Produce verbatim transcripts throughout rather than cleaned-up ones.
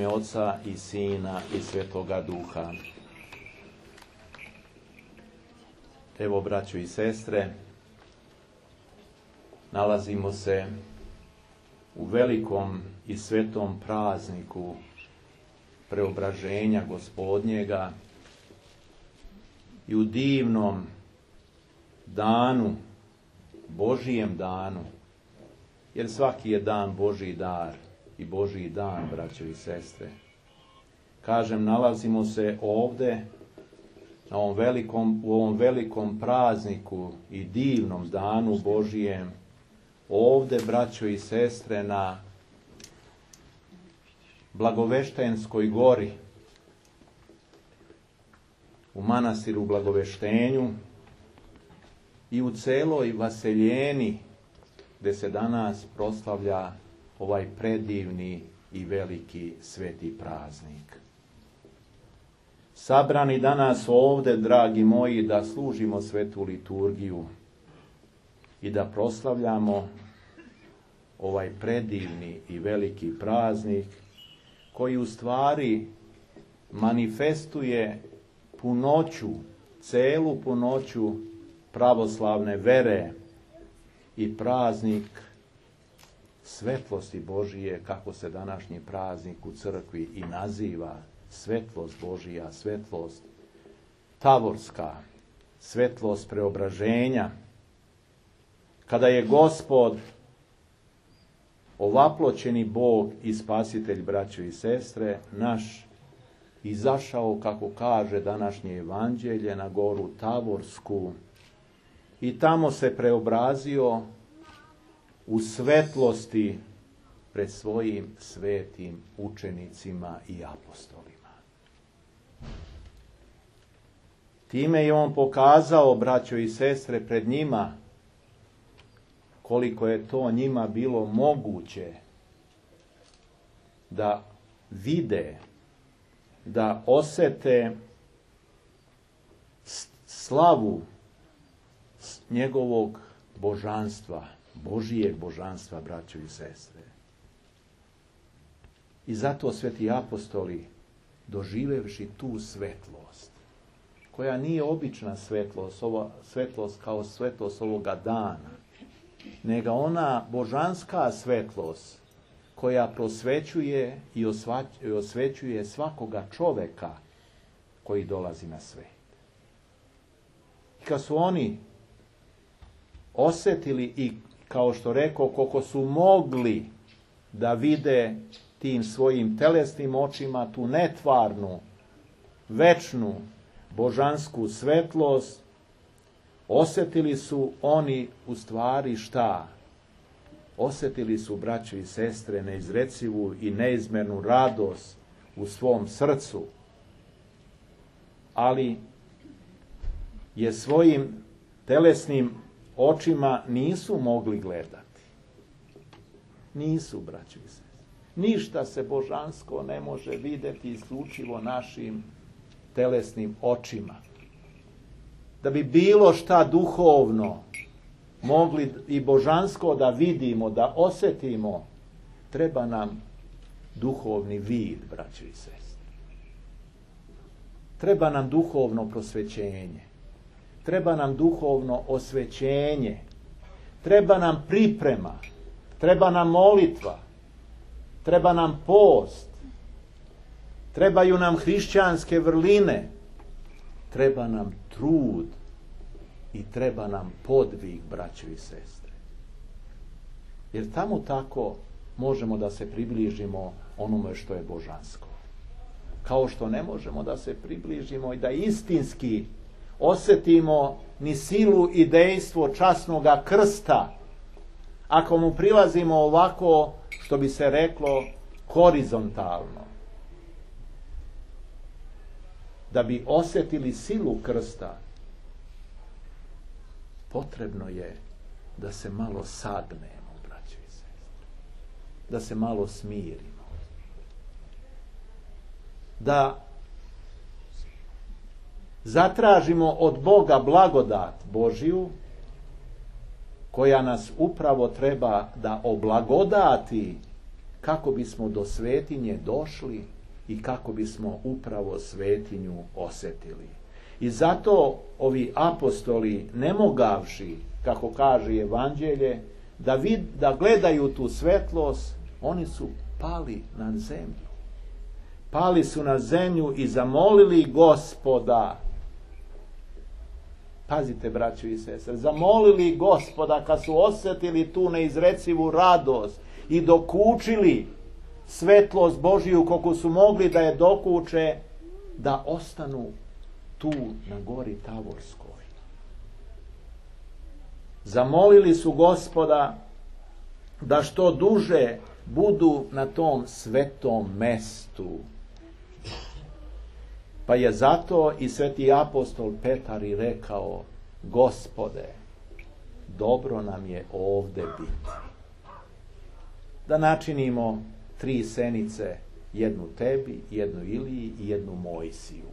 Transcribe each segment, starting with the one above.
ime Oca i Sina i Svetoga Duha. Evo, braćo i sestre, nalazimo se u velikom i svetom prazniku preobraženja Gospodnjega i u divnom danu, Božijem danu, jer svaki je dan Božji dar i Božji dan, braćo i sestre. Kažem, nalazimo se ovde na ovom velikom, u ovom velikom prazniku i divnom danu Božijem, ovde, braćo i sestre, na Blagoveštenskoj gori, u manastiru Blagoveštenju i u celoj Vaseljeni, gde se danas proslavlja ovaj predivni i veliki sveti praznik. Sabrani danas ovde, dragi moji, da služimo svetu liturgiju i da proslavljamo ovaj predivni i veliki praznik koji u stvari manifestuje punoću, celu punoću pravoslavne vere i praznik svetlosti Božije, kako se današnji praznik u crkvi i naziva, svetlost Božija, svetlost tavorska, svetlost preobraženja. Kada je Gospod, ovaploćeni Bog i Spasitelj, braćo i sestre, naš, izašao, kako kaže današnje evanđelje, na goru Tavorsku i tamo se preobrazio u svetlosti pred svojim svetim učenicima i apostolima. Time je on pokazao, braćo i sestre, pred njima koliko je to njima bilo moguće da vide, da osete slavu njegovog božanstva, Božijeg božanstva, braćo i sestre. I zato sveti apostoli, doživevši tu svetlost, koja nije obična svetlost, ova svetlost kao svetlost ovoga dana, nego ona božanska svetlost koja prosvećuje i osvećuje svakoga čoveka koji dolazi na svet. I kad su oni osjetili i, kao što rekao, koliko su mogli da vide tim svojim telesnim očima tu netvarnu, večnu, božansku svetlost, osjetili su oni u stvari šta? Osjetili su, braćo i sestre, neizrecivu i neizmernu radost u svom srcu, ali je svojim telesnim očima nisu mogli gledati. Nisu, braćo i sestre. Ništa se božansko ne može vidjeti isključivo našim telesnim očima. Da bi bilo šta duhovno mogli i božansko da vidimo, da osjetimo, treba nam duhovni vid, braćo i sestre. Treba nam duhovno prosvećenje. Treba nam duhovno osvećenje. Treba nam priprema. Treba nam molitva. Treba nam post. Trebaju nam hrišćanske vrline. Treba nam trud i treba nam podvig, braćo i sestre. Jer tamo tako možemo da se približimo onome što je božansko. Kao što ne možemo da se približimo i da istinski osjetimo ni silu i dejstvo časnoga krsta, ako mu prilazimo ovako, što bi se reklo, horizontalno. Da bi osjetili silu krsta, potrebno je da se malo sagnemo, braćo i sestre. Da se malo smirimo. Da zatražimo od Boga blagodat Božiju, koja nas upravo treba da oblagodati kako bismo do svetinje došli i kako bismo upravo svetinju osjetili. I zato ovi apostoli, ne mogavši, kako kaže Evanđelje, da, vid, da gledaju tu svetlost, oni su pali na zemlju. Pali su na zemlju i zamolili Gospoda. Pazite, braćo i sestre, zamolili Gospoda kad su osjetili tu neizrecivu radost i dokučili svetlost Božiju koliko su mogli da je dokuče, da ostanu tu na gori Tavorskoj. Zamolili su Gospoda da što duže budu na tom svetom mestu. Pa je zato i sveti apostol Petar i rekao: Gospode, dobro nam je ovde biti. Da načinimo tri senice, jednu tebi, jednu Iliji i jednu Mojsiju.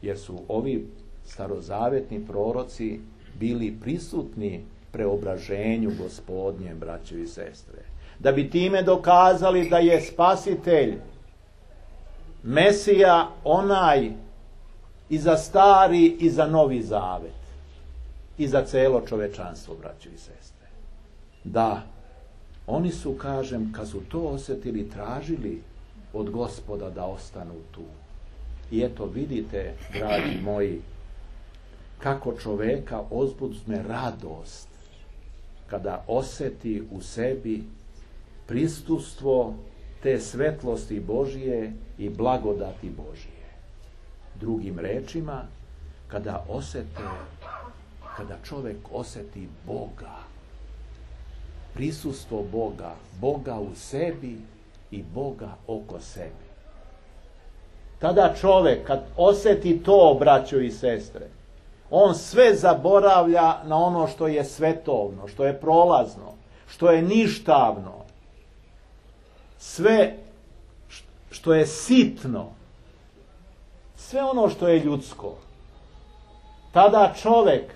Jer su ovi starozavetni proroci bili prisutni preobraženju Gospodnjem, braćo i sestre. Da bi time dokazali da je Spasitelj, Mesija, onaj i za stari i za novi zavet. I za celo čovečanstvo, braćo i sestre. Da, oni su, kažem, kad su to osjetili, tražili od Gospoda da ostanu tu. I eto, vidite, dragi moji, kako čoveka uzbudne radost kada osjeti u sebi prisustvo te svetlosti Božije i blagodati Božije. Drugim rečima, kada osjete, kada čovjek osjeti Boga, prisustvo Boga, Boga u sebi i Boga oko sebi. Tada čovjek, kad osjeti to, braćo i sestre, on sve zaboravlja na ono što je svetovno, što je prolazno, što je ništavno, sve što je sitno, sve ono što je ljudsko. Tada čovjek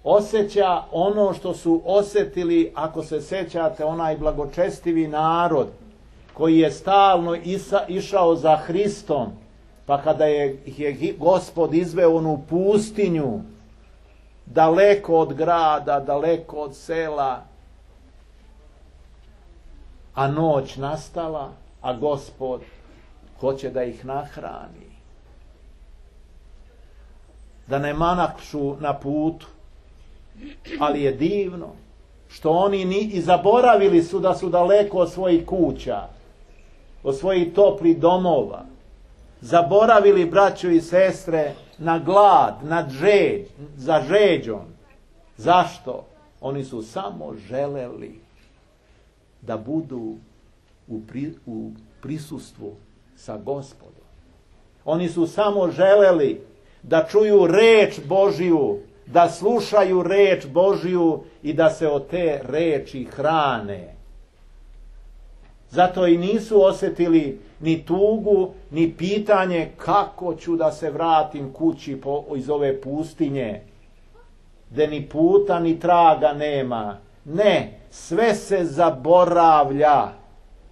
osjeća ono što su osjetili, ako se sjećate, onaj blagočestivi narod koji je stalno isa, išao za Hristom, pa kada je, je Gospod izveo onu pustinju, daleko od grada, daleko od sela, a noć nastala, a Gospod hoće da ih nahrani. Da ne manakšu na putu, ali je divno što oni ni i zaboravili su da su daleko od svojih kuća, od svojih toplih domova. Zaboravili, braćo i sestre, na glad, na žeđ, za žeđom. Zašto? Oni su samo želeli da budu u, pri, u prisustvu sa Gospodom. Oni su samo želeli da čuju reč Božiju, da slušaju reč Božiju i da se od te reči hrane. Zato i nisu osjetili ni tugu, ni pitanje kako ću da se vratim kući po, iz ove pustinje, gde ni puta ni traga nema. Ne, sve se zaboravlja.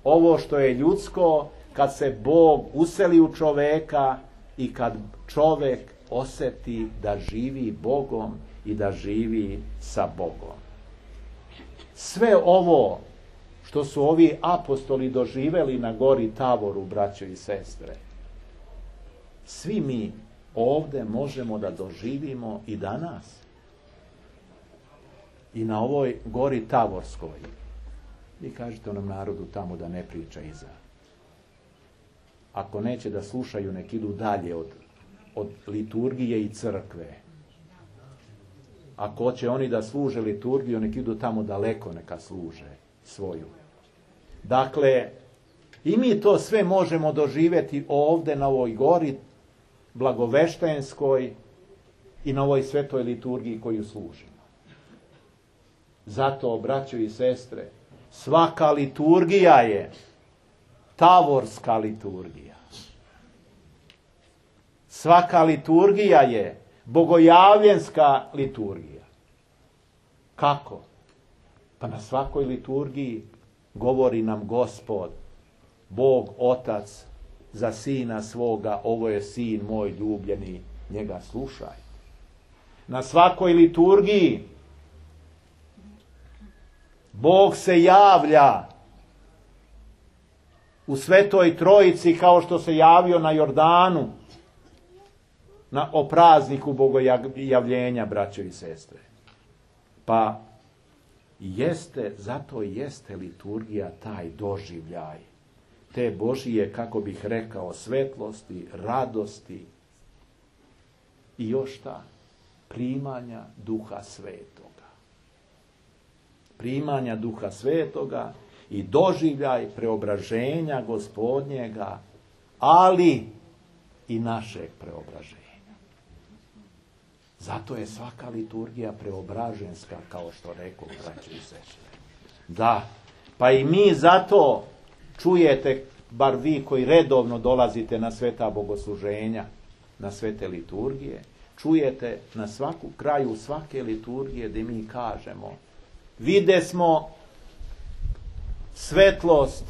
Ovo što je ljudsko, kad se Bog useli u čoveka i kad čovek osjeti da živi Bogom i da živi sa Bogom. Sve ovo što su ovi apostoli doživeli na gori Tavoru, braćo i sestre, svi mi ovdje možemo da doživimo i danas. I na ovoj gori Tavorskoj. Vi kažete onom narodu tamo da ne priča iza. Ako neće da slušaju, nek idu dalje od, od liturgije i crkve. Ako će oni da služe liturgiju, nek idu tamo daleko, neka služe svoju. Dakle, i mi to sve možemo doživjeti ovdje na ovoj gori blagoveštenskoj i na ovoj svetoj liturgiji koju služimo. Zato, braćo i sestre, svaka liturgija je tavorska liturgija. Svaka liturgija je bogojavljenska liturgija. Kako? Pa na svakoj liturgiji govori nam Gospod Bog Otac za sina svoga, ovo je sin moj ljubljeni, njega slušaj. Na svakoj liturgiji Bog se javlja u Svetoj Trojici kao što se javio na Jordanu na, o prazniku bogojavljenja, braćo i sestre. Pa jeste, zato jeste liturgija taj doživljaj te Božije, kako bih rekao, svetlosti, radosti i još šta? Primanja Duha Svetoga. Primanja Duha Svetoga i doživljaj preobraženja Gospodnjega, ali i našeg preobraženja. Zato je svaka liturgija preobraženska, kao što rekao, braćo i sestre. Da, pa i mi zato čujete, bar vi koji redovno dolazite na sveta bogosluženja, na svete liturgije, čujete na svaku kraju svake liturgije da mi kažemo: vide smo svetlost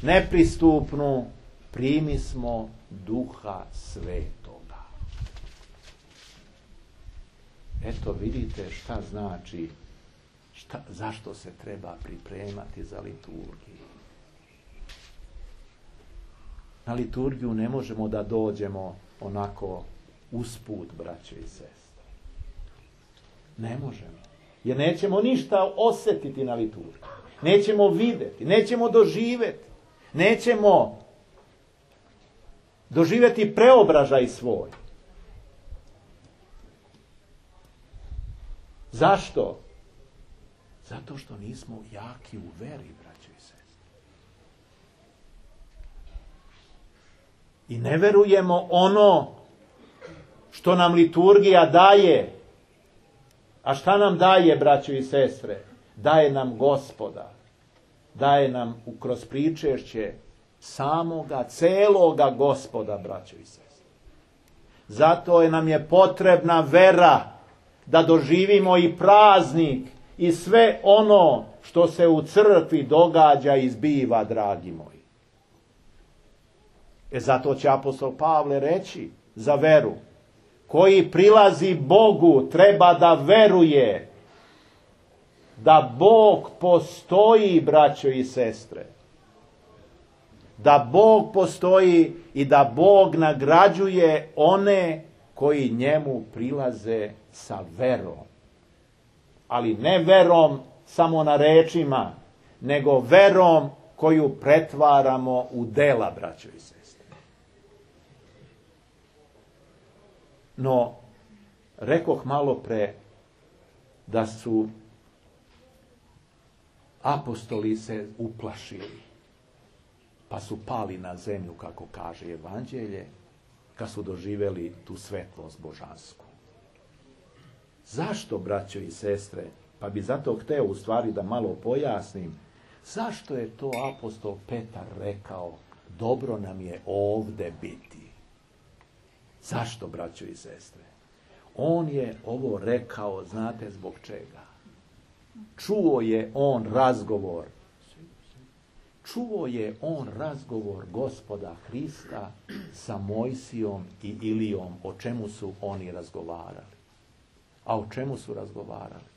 nepristupnu, primi smo Duha Svetoga. Eto, vidite šta znači, šta, zašto se treba pripremati za liturgiju. Na liturgiju ne možemo da dođemo onako usput, braćo i sestre. Ne možemo. Jer nećemo ništa osjetiti na liturgiji. Nećemo vidjeti, nećemo doživjeti. Nećemo doživjeti preobražaj svoj. Zašto? Zato što nismo jaki u veri, braćo i sestre. I ne verujemo ono što nam liturgija daje. A šta nam daje, braćo i sestre? Daje nam Gospoda. Daje nam kroz pričešće samoga, celoga Gospoda, braćo i sestre. Zato je nam je potrebna vera da doživimo i praznik i sve ono što se u crkvi događa i zbiva, dragi moji. E zato će apostol Pavle reći za veru: koji prilazi Bogu treba da veruje da Bog postoji, braćo i sestre. Da Bog postoji i da Bog nagrađuje one koji njemu prilaze sa verom. Ali ne verom samo na rečima, nego verom koju pretvaramo u dela, braćo i sestre. No, rekoh malo pre da su apostoli se uplašili, pa su pali na zemlju, kako kaže Evanđelje, kad su doživjeli tu svetlost božansku. Zašto, braćo i sestre? Pa bi zato hteo u stvari da malo pojasnim. Zašto je to apostol Petar rekao: dobro nam je ovde biti? Zašto, braćo i sestre? On je ovo rekao, znate zbog čega? Čuo je on razgovor. Čuo je on razgovor Gospoda Hrista sa Mojsijom i Ilijom. O čemu su oni razgovarali? A o čemu su razgovarali?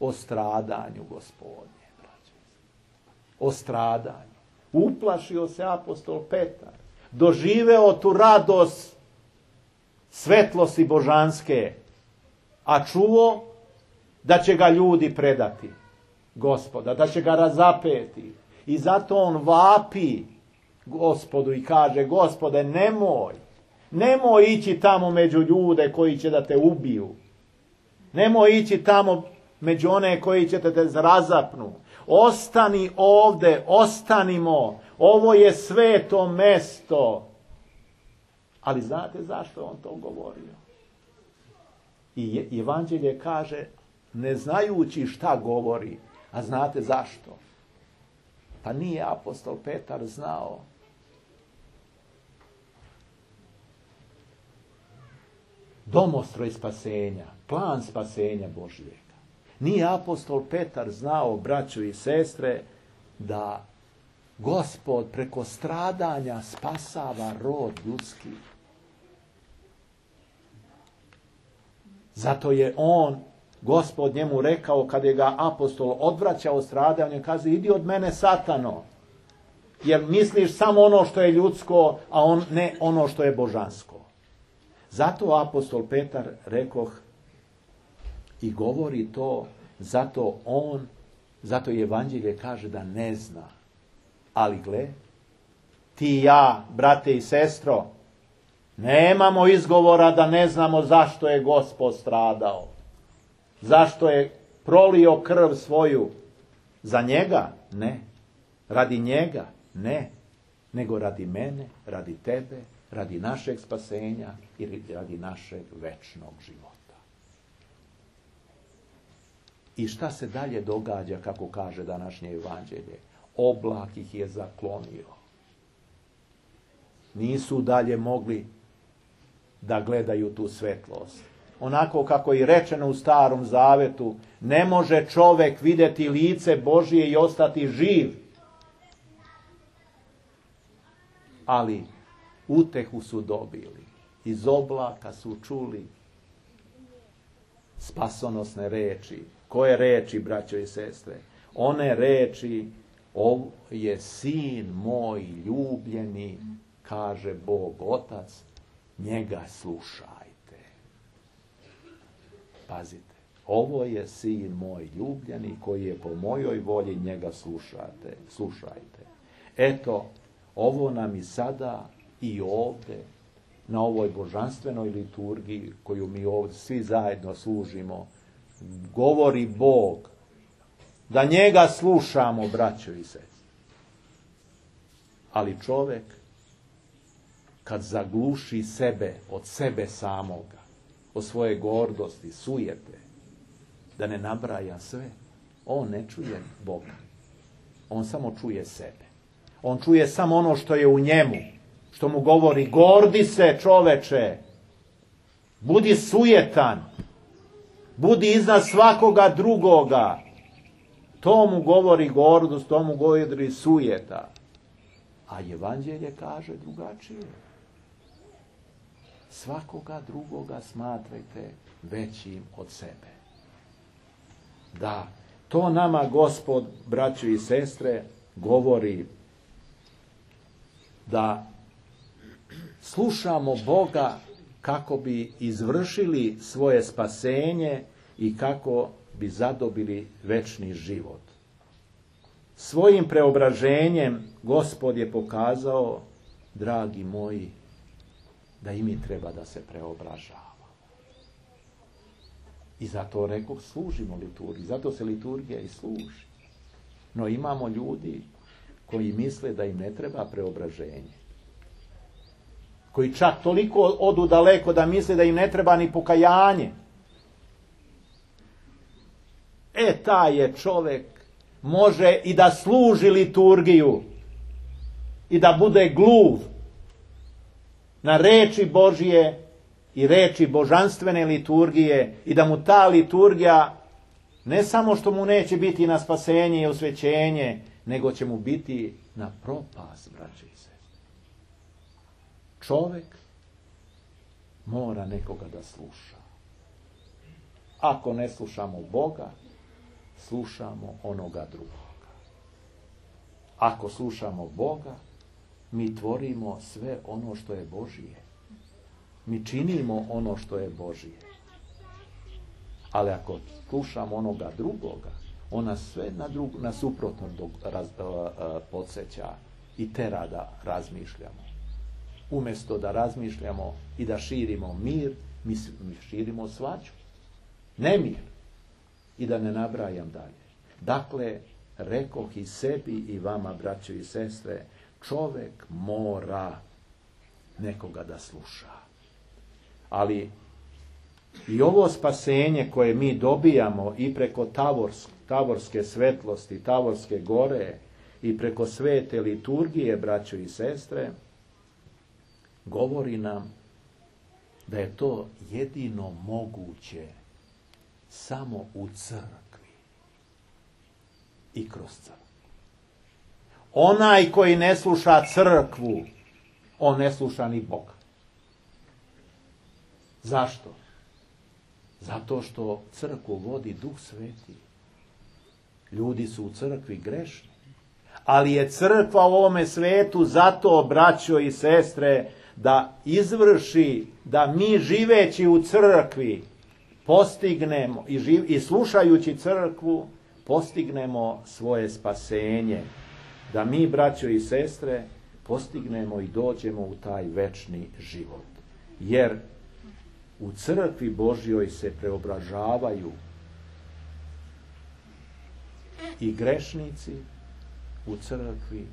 O stradanju Gospodnje, braćo. O stradanju. Uplašio se apostol Petar. Doživeo tu radost svetlosti božanske, a čuo da će ga ljudi predati Gospoda, da će ga razapeti. I zato on vapi Gospodu i kaže: Gospode, nemoj, nemoj ići tamo među ljude koji će da te ubiju. Nemoj ići tamo među one koji će te razapnu. Ostani ovde, ostanimo, ovo je sveto mesto. Ali znate zašto on to govorio? I Evanđelje kaže, ne znajući šta govori, a znate zašto? Pa nije apostol Petar znao domostroj spasenja, plan spasenja Božijega. Nije apostol Petar znao, braćo i sestre, da Gospod preko stradanja spasava rod ljudski. Zato je on, Gospod njemu rekao, kad je ga apostol odvraćao od stradanja, kaže, idi od mene, Satano, jer misliš samo ono što je ljudsko, a on ne ono što je božansko. Zato apostol Petar, rekoh, i govori to, zato on, zato i evanđelje kaže da ne zna. Ali gle, ti i ja, brate i sestro, nemamo izgovora da ne znamo zašto je Gospod stradao. Zašto je prolio krv svoju. Za njega? Ne. Radi njega? Ne. Nego radi mene, radi tebe, radi našeg spasenja i radi našeg večnog života. I šta se dalje događa, kako kaže današnje evanđelje? Oblak ih je zaklonio. Nisu dalje mogli da gledaju tu svetlost. Onako kako je rečeno u Starom Zavetu, ne može čovjek vidjeti lice Božije i ostati živ. Ali utehu su dobili. Iz oblaka su čuli spasonosne reči. Koje reči, braćo i sestre? One reči, ovo je sin moj ljubljeni, kaže Bog Otac, njega slušajte. Pazite, ovo je sin moj ljubljeni koji je po mojoj volji, njega slušajte. slušajte. Eto, ovo nam i sada i ovdje, na ovoj božanstvenoj liturgiji koju mi ovdje svi zajedno služimo, govori Bog, da njega slušamo, braćo i sestre. Ali čovjek, kad zagluši sebe od sebe samoga, od svoje gordosti, sujete, da ne nabraja sve, on ne čuje Boga. On samo čuje sebe. On čuje samo ono što je u njemu, što mu govori, gordi se, čoveče, budi sujetan, budi iznad svakoga drugoga. To mu govori gordost, to mu govori sujeta. A evanđelje kaže drugačije. Svakoga drugoga smatrajte većim od sebe. Da, to nama Gospod, braćo i sestre, govori da slušamo Boga kako bi izvršili svoje spasenje i kako bi zadobili večni život. Svojim preobraženjem Gospod je pokazao, dragi moji, da i mi treba da se preobražavamo. I zato rekoh, služimo liturgiji, zato se liturgija i služi. No imamo ljudi koji misle da im ne treba preobraženje. Koji čak toliko odu daleko da misle da im ne treba ni pokajanje. E, taj je čovjek, može i da služi liturgiju i da bude gluv na reči Božije i reči božanstvene liturgije i da mu ta liturgija ne samo što mu neće biti na spasenje i osvećenje, nego će mu biti na propast, braće i sestre. Čovjek mora nekoga da sluša. Ako ne slušamo Boga, slušamo onoga drugoga. Ako slušamo Boga, mi tvorimo sve ono što je Božije. Mi činimo ono što je Božije. Ali ako slušamo onoga drugoga, ona sve na, drug, na suprotno raz, podsjeća i tera da razmišljamo. Umjesto da razmišljamo i da širimo mir, mi, mi širimo svađu. Nemir. I da ne nabrajam dalje. Dakle, rekoh i sebi i vama, braćo i sestre, čovjek mora nekoga da sluša. Ali i ovo spasenje koje mi dobijamo i preko tavorske, tavorske svetlosti, tavorske gore i preko svete liturgije, braćo i sestre, govori nam da je to jedino moguće samo u crkvi i kroz crkvu. Onaj koji ne sluša crkvu, on ne sluša ni Boga. Zašto? Zato što crkvu vodi Duh Sveti. Ljudi su u crkvi grešni. Ali je crkva u ovome svetu zato, braćo i sestre, da izvrši, da mi živeći u crkvi postignemo i, živ, i slušajući crkvu postignemo svoje spasenje. Da mi, braćo i sestre, postignemo i dođemo u taj večni život. Jer u crkvi Božjoj se preobražavaju i grešnici, u crkvi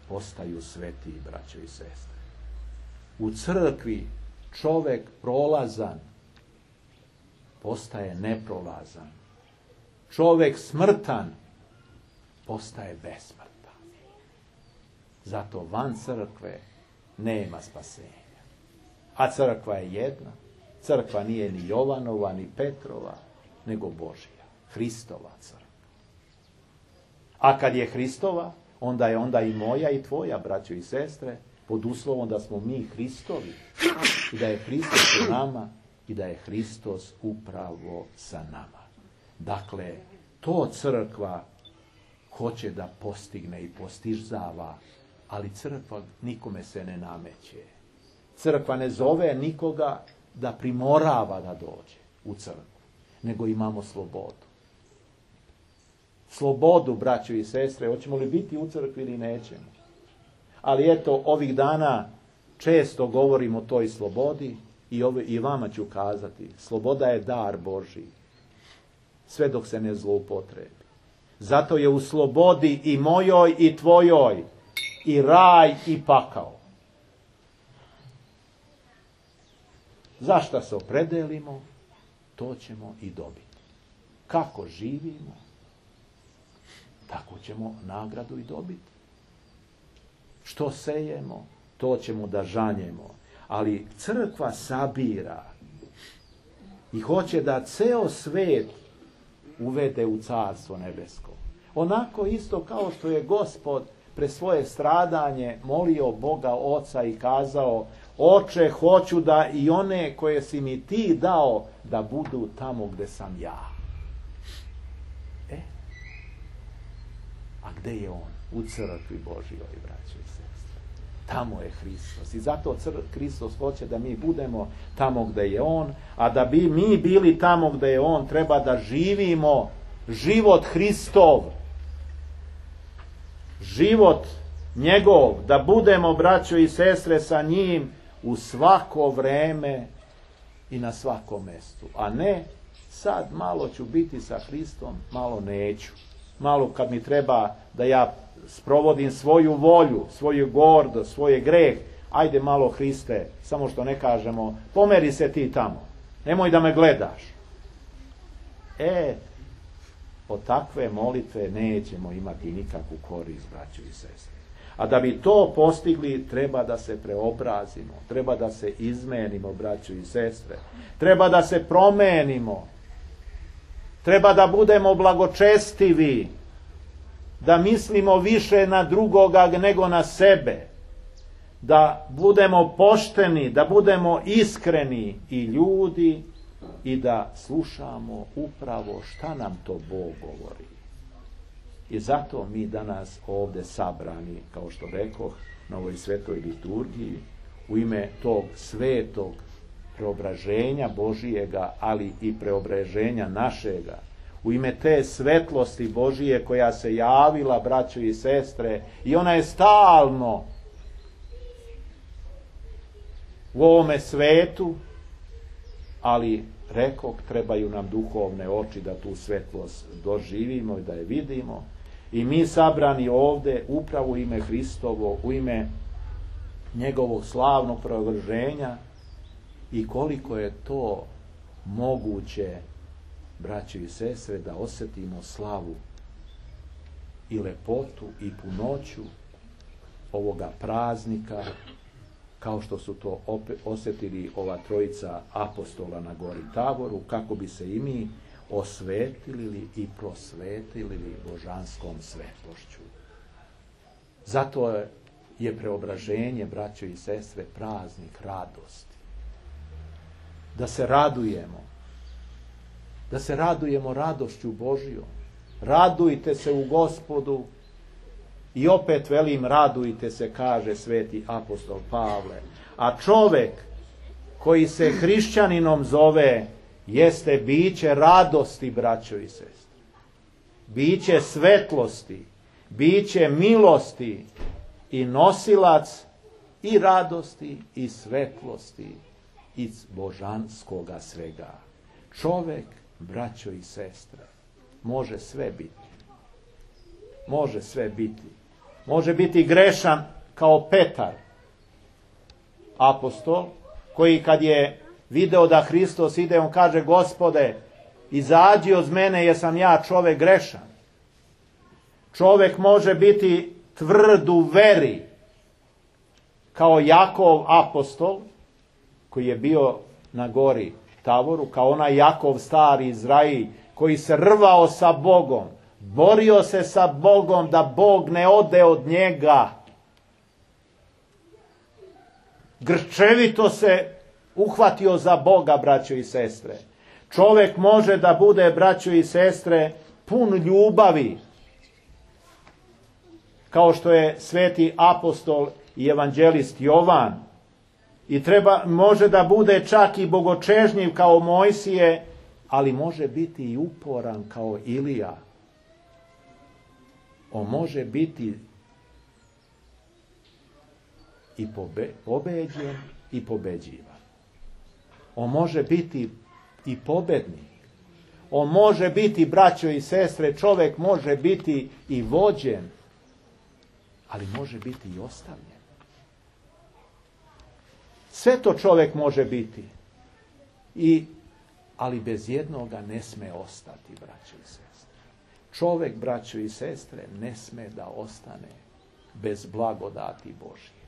postaju sveti, braćo i sestre. U crkvi čovek prolazan postaje neprolazan. Čovek smrtan postaje besmrtan. Zato van crkve nema spasenja. A crkva je jedna. Crkva nije ni Jovanova, ni Petrova, nego Božja. Hristova crkva. A kad je Hristova, onda je onda i moja i tvoja, braćo i sestre, pod uslovom da smo mi Hristovi i da je Hristos u nama i da je Hristos upravo sa nama. Dakle, to crkva hoće da postigne i postižava, ali crkva nikome se ne nameće. Crkva ne zove nikoga da primorava da dođe u crkvu, nego imamo slobodu. Slobodu, braćo i sestre, hoćemo li biti u crkvi ili nećemo. Ali eto, ovih dana često govorimo o toj slobodi i, ove, i vama ću kazati, sloboda je dar Božji, sve dok se ne zloupotrebi. Zato je u slobodi i mojoj i tvojoj i raj i pakao. Zašta se opredelimo, to ćemo i dobiti. Kako živimo, tako ćemo nagradu i dobiti. Što sejemo, to ćemo da žanjemo. Ali crkva sabira i hoće da ceo svet uvede u carstvo nebesko. Onako isto kao što je Gospod pre svoje stradanje molio Boga Oca i kazao: Oče, hoću da i one koje si mi ti dao da budu tamo gde sam ja. E, a gde je on? U crkvi Božjoj, braćo i sestre. Tamo je Hristos. I zato Hristos hoće da mi budemo tamo gde je on, a da bi mi bili tamo gde je on, treba da živimo život Hristov. Život njegov, da budemo, braćo i sestre, sa njim u svako vreme i na svakom mestu. A ne, sad malo ću biti sa Hristom, malo neću. Malo kad mi treba da ja sprovodim svoju volju, svoju gordost, svoje greh, ajde malo Hriste, samo što ne kažemo, pomeri se ti tamo, nemoj da me gledaš. E, od takve molitve nećemo imati nikakvu korist, braćo i sestre. A da bi to postigli, treba da se preobrazimo, treba da se izmenimo, braćo i sestre, treba da se promenimo, treba da budemo blagočestivi, da mislimo više na drugoga nego na sebe, da budemo pošteni, da budemo iskreni i ljudi i da slušamo upravo šta nam to Bog govori. I zato mi danas ovde sabrani, kao što rekoh, na ovoj svetoj liturgiji, u ime tog svetog preobraženja Božijega, ali i preobraženja našega, u ime te svetlosti Božije koja se javila, braćo i sestre, i ona je stalno u ovome svetu, ali rekoh, trebaju nam duhovne oči da tu svetlost doživimo i da je vidimo. I mi sabrani ovde upravo u ime Hristovo, u ime njegovog slavnog preobraženja, i koliko je to moguće, braćo i sestre, da osjetimo slavu i lepotu i punoću ovoga praznika, kao što su to osjetili ova trojica apostola na gori Tavoru, kako bi se i mi osvetili i prosvetili božanskom svetlošću. Zato je preobraženje, braćo i sestre, praznik radosti. Da se radujemo. Da se radujemo radošću Božjom. Radujte se u Gospodu. I opet velim, radujte se, kaže sveti apostol Pavle. A čovek koji se hrišćaninom zove, jeste biće radosti, braćo i sestre. Biće svetlosti, biće milosti i nosilac i radosti i svetlosti iz božanskoga svega. Čovek, braćo i sestre, može sve biti. Može sve biti. Može biti grešan kao Petar, apostol, koji kad je video da Hristos ide, on kaže: Gospode, izađi od mene, jer sam ja čovek grešan. Čovek može biti tvrd u veri, kao Jakov apostol, koji je bio na gori Tavoru, kao onaj Jakov stari Izrail, koji se rvao sa Bogom, borio se sa Bogom da Bog ne ode od njega. Grčevito se uhvatio za Boga, braćo i sestre. Čovjek može da bude, braćo i sestre, pun ljubavi, kao što je sveti apostol i evanđelist Jovan. I treba, može da bude čak i bogočežnjiv kao Mojsije, ali može biti i uporan kao Ilija. On može biti i pobe, pobeđen i pobeđivan. On može biti i pobednik. On može biti, braćo i sestre, čovjek može biti i vođen, ali može biti i ostavljen. Sve to čovjek može biti. I, ali bez jednoga ne sme ostati, braćo i sestre. Čovjek, braćo i sestre, ne sme da ostane bez blagodati Božje.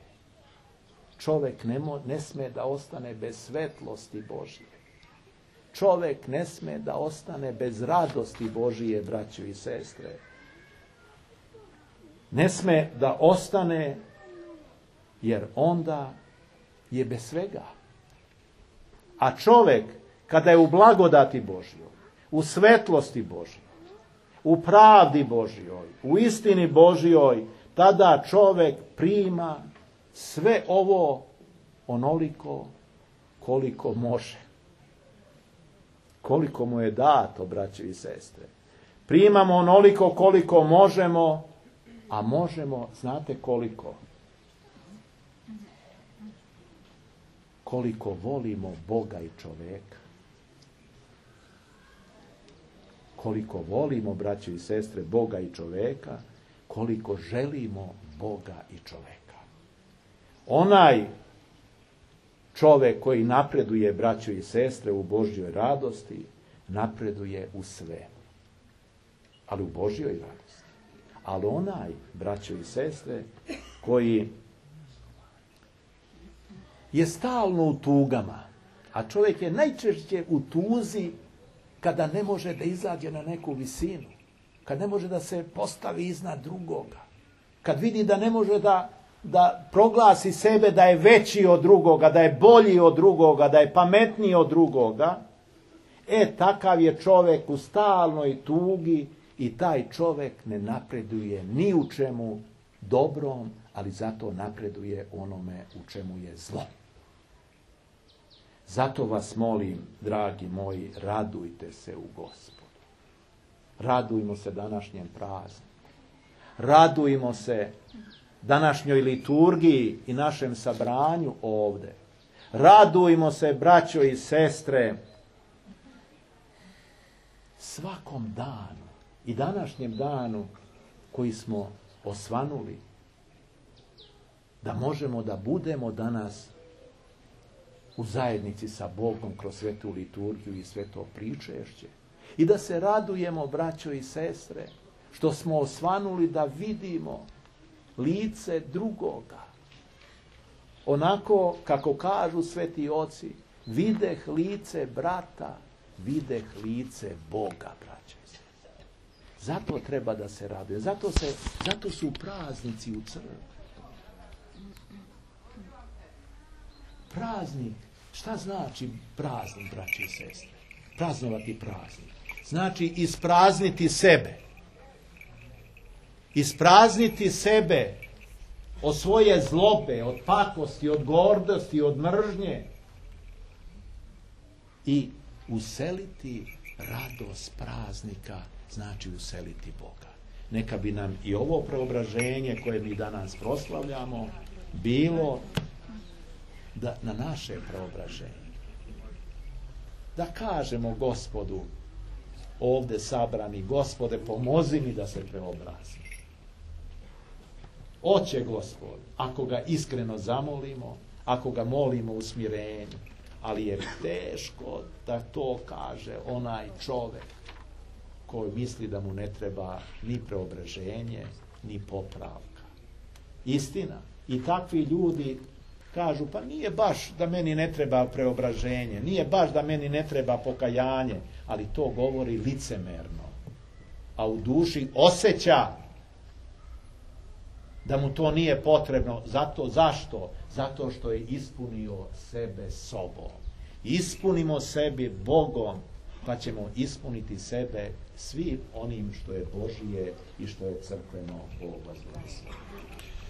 Čovjek ne, mo, ne sme da ostane bez svetlosti Božje. Čovjek ne sme da ostane bez radosti Božije, braćo i sestre. Ne sme da ostane, jer onda je bez svega. A čovjek, kada je u blagodati Božjoj, u svetlosti Božjoj, u pravdi Božjoj, u istini Božjoj, tada čovjek prima sve ovo onoliko koliko može. Koliko mu je dato, braćo i sestre. Primamo onoliko koliko možemo, a možemo, znate koliko? Koliko volimo Boga i čoveka. Koliko volimo, braćo i sestre, Boga i čoveka, koliko želimo Boga i čoveka. Onaj čovek koji napreduje, braćo i sestre, u Božjoj radosti, napreduje u sve. Ali u Božjoj radosti. Ali onaj, braćo i sestre, koji je stalno u tugama, a čovjek je najčešće u tuzi kada ne može da izađe na neku visinu, kad ne može da se postavi iznad drugoga, kad vidi da ne može da, da proglasi sebe da je veći od drugoga, da je bolji od drugoga, da je pametniji od drugoga, e, takav je čovjek u stalnoj tugi i taj čovjek ne napreduje ni u čemu dobrom, ali zato napreduje onome u čemu je zlo. Zato vas molim, dragi moji, radujte se u Gospodu. Radujmo se današnjem prazniku. Radujmo se današnjoj liturgiji i našem sabranju ovde. Radujmo se, braćo i sestre, svakom danu i današnjem danu koji smo osvanuli, da možemo da budemo danas u zajednici sa Bogom kroz svetu liturgiju i sveto pričešće. I da se radujemo, braćo i sestre, što smo osvanuli da vidimo lice drugoga. Onako kako kažu sveti oci, videh lice brata, videh lice Boga, braćo i sestre. Zato treba da se raduje. Zato, se, zato su praznici u crkvi. Praznik. Šta znači praznik, braći i sestre? Praznovati praznik. Znači isprazniti sebe. Isprazniti sebe od svoje zlobe, od pakosti, od gordosti, od mržnje. I useliti radost praznika, znači useliti Boga. Neka bi nam i ovo preobraženje koje mi danas proslavljamo bilo da na naše preobraženje. Da kažemo Gospodu, ovdje sabrani, Gospode, pomozi mi da se preobrazim. Oće Gospod, ako ga iskreno zamolimo, ako ga molimo u smirenju, ali je teško da to kaže onaj čovjek koji misli da mu ne treba ni preobraženje, ni popravka. Istina, i takvi ljudi kažu, pa nije baš da meni ne treba preobraženje, nije baš da meni ne treba pokajanje, ali to govori licemerno. A u duši osjeća da mu to nije potrebno. Zato, zašto? Zato što je ispunio sebe sobom. Ispunimo sebi Bogom, pa ćemo ispuniti sebe svim onim što je Božije i što je crkveno. Bog vas blagoslovi.